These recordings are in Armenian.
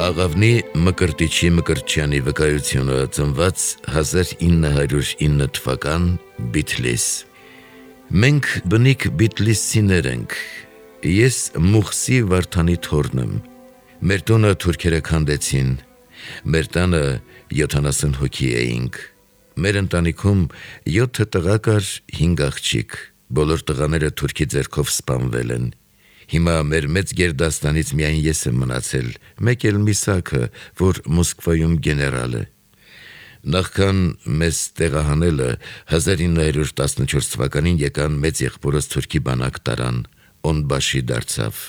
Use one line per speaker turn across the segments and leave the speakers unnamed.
Աղավնի Մկրտիչի Մկրտչյանի վկայությունը ծնված 1909 թվական Բիթլիս։ Մենք բնիկ բիթլիսցիներ ենք, ես Մուխսի Վարդանի թոռն եմ, մեր տունը թուրքերը քանդեցին, մեր տանը 70 հոգի էինք, մեր ընտանիքում 7 տղա կար, 5 աղջիկ, բոլոր տղաները թուրքի ձեռքով սպանվել են։ Հիմա մեր մեծ գերդաստանից միայն ես եմ մնացել, մեկ էլ Միսակը, որ Մոսկվայում գեներալ է։ Նախքան մեզ տեղահանելը 1914 թվականին եկան մեծ եղբորս թուրքի բանակ տարան, Օնբաշի դարձավ։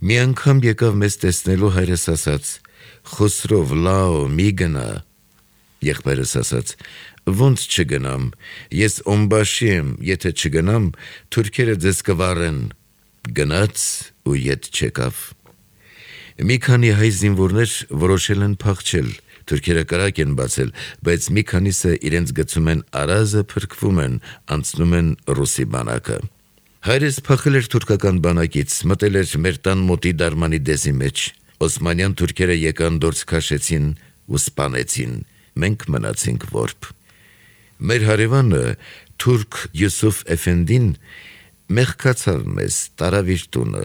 Մի անգամ եկավ մեզ տեսնելու, հայրս ասաց. «Խոսրով, լաո, մի գնա»։ Եղբայրս ասաց. «Ոնց չգնամ, ես Օնբաշի եմ, եթե չգնամ, թուրքերը ձեզ կվառեն»։ Գնաց ու ետ չեկավ։ Մի քանի հայ զինվորներ որոշել են փախչել, թուրքերը կրակ են բացել, բայց մի քանիսը իրենց գցում են արազը, փրկվում են, անցնում են ռուսի բանակը։ Հայրս փախել էր թուրքական բանակից, մտել էր մեր տան մոտի դարմանի դեզի մեջ։ Օսմանյան թուրքերը եկան, դորս քաշեցին ու սպանեցին, մենք մնացինք որբ։ Մեր հարևանը թուրք Յուսուֆ Էֆենդին մեղքացավ մեզ, տարավ իր տունը։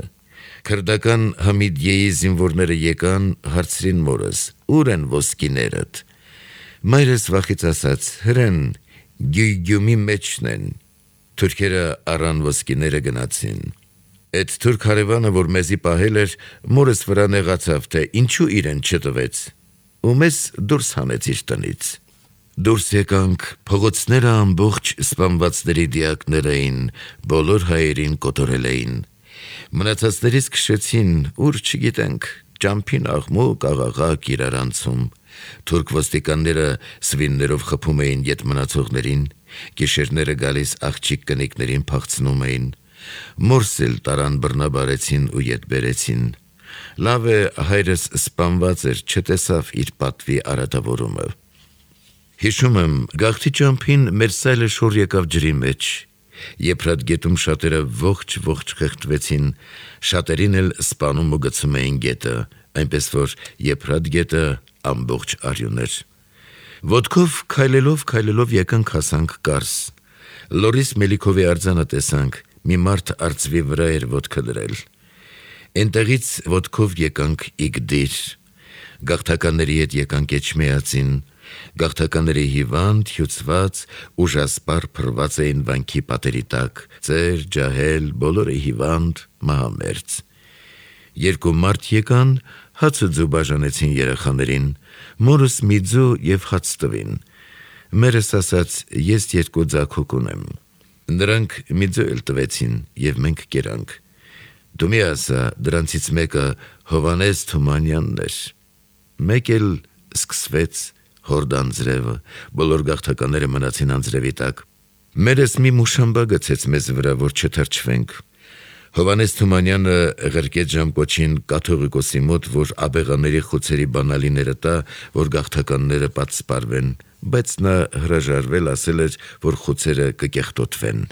Քրդական Համիդիեի զինվորները եկան, հարցրին մորս. «Ուր են ոսկիներդ»։ Մայրս վախից ասաց. «Հրեն, Գյուգյումի մեջն են»։ Թուրքերը առան ոսկիները, գնացին։ Այդ թուրք հարևանը, որ մեզի պահել էր, մորս վրա նեղացավ, թե ինչու իրեն չտվեց, ու մեզ դուրս հանեց իր տնից։ Դուրս եկանք, փողոցները ամբողջ սպանվածների դիակներ էին, բոլոր հայերին կոտորել էին։ Մնացածներից քշեցին, ուր չգիտենք, ճամփին աղմուկ, աղաղակ, իրարանցում։ Թուրք ոստիկանները սվիններով խփում էին ետ մնացողներին, գիշերները գալիս աղջիկ կնիկներին փախցնում էին։ Մորս էլ տարան բռնաբարեցին ու ետ բերեցին։ Լավ է, հայրս սպանված էր, չտեսավ իր պատվի արատավորումը։ Հիշում եմ, գաղթի ճամփին մեր սայլը շոր եկավ ջրի մեջ։ Եփրատ գետում շատերը ողջ խեղդվեցին, շատերին էլ սպանում ու գցում էին գետը, այնպես որ Եփրատ գետը ամբողջ արյուն էր։ Ոտքով քայլելով եկանք հասանք Կարս։ Լորիս Մելիքովի արձանը տեսանք, մի մարդ արծվի վրա էր ոտքը դրել։ Էնտեղից ոտքով եկանք Իգդիր։ Գաղթականների հետ եկանք Էջմիածին։ Գաղթականների հիվանդ, հյուծված, ուժասպառ փռված էին վանքի պատերի տակ, ծեր, ջահել, բոլորը հիվանդ, մահամերձ։ Երկու մարդ եկան, հացը ձու բաժանեցին երեխաներին, մորս մի ձու և հաց տվին։ Մերս ասաց, ես 2 ձագուկ ունեմ։ Նրանք մի ձու էլ տվեցին, և մենք կերանք։ Դու մի ասա, դրանցից մեկը Հովանես Թումանյանն էր։ Մեկ էլ սկսվեց հորդան ձրևը, բոլոր գաղթականները մնացին անձրևի տակ։ Մերս մի մուշամբա գցեց մեզ վրա, որ չթրջվենք։ Հովանես Թումանյանը ղրկեց ժամկոչին կաթողիկոսի մոտ, որ աբեղաների խուցերի բանալիները տա, որ գաղթականները պատսպարվեն, բայց նա հրաժարվել, ասել էր, որ խուցերը կկեղտոտվեն։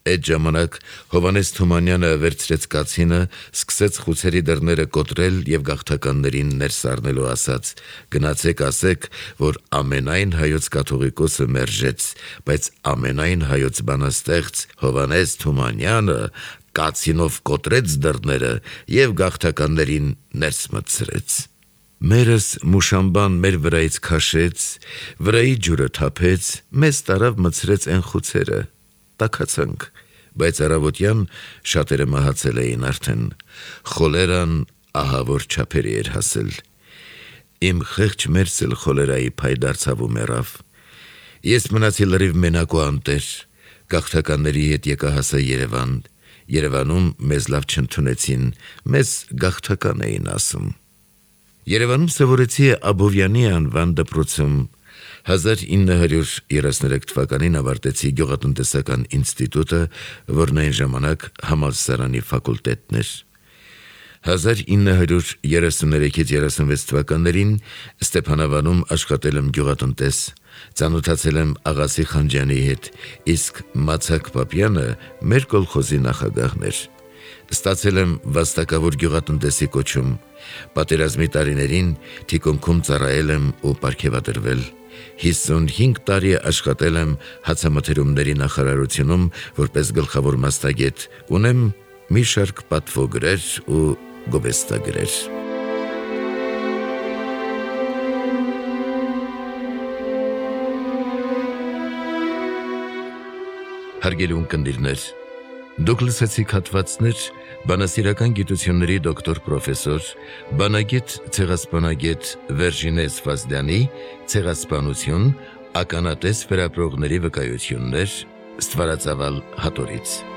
Այդ ժամանակ Հովանես Թումանյանը վերցրեց կացինը, սկսեց խուցերի դռները կոտրել և գաղթականներին ներս առնելու ասաց. «Գնացեք ասեք, որ ամենայն հայոց կաթողիկոսը մերժեց, բայց ամենայն հայոց բանաստեղծ Հովանես Թումանյանը կացինով կոտրեց դռները և գաղթականներին ներս մտցրեց»։ Մերս մուշամբան մեր վրայից քաշեց, վրայի ջուրը թափեց, մեզ տարավ մտցրեց են խուցերը։ Տաքացանք, բայց առավոտյան շատերը մահացել էին արդեն։ Խոլերան ահավոր չափերի էր հասել։ Իմ խեղճ մերս էլ խոլերայի փայ դարձավ ու մեռավ։ Ես մնացի լրիվ մենակ ու անտեր, գաղթականների հետ եկա հասա Երևան։ Երևանում մեզ լավ չընդունեցին, մեզ գաղթական էին ասում։ Երևանում սովորեցի Աբովյանի անվան դպրոցում։ 1933 թվականին ավարտեցի գյուղատնտեսական ինստիտուտը, որն այն ժամանակ համալսարանի ֆակուլտետն էր։ 1933-36 թվականներին Ստեփանավանում աշխատել եմ գյուղատնտես, ծանոթացել եմ Աղասի Խանջյանի հետ, իսկ Մացակ Պապյանը մեր կոլխոզի նախագահն էր։ Ստացել եմ վաստակավոր գյուղատնտեսի կոչում, պատերազմի տարիներին թիկունքում ծառայել եմ ու պարգևատրվել, 55 տարի աշխատել եմ հացամթերումների նախարարությունում որպես գլխավոր մասնագետ, ունեմ մի շարք պատվոգրեր ու գովեստագրեր։ Հարգելի ունկնդիրներ, դուք լսեցիք հատվածներ բանասիրական գիտությունների դոկտոր պրոֆեսոր, բանագետ ցեղասպանագետ Վերժինե Սվազդյանի «Ցեղասպանություն. ականատես վերապրողների վկայություններ» ստվարածավալ հատորից։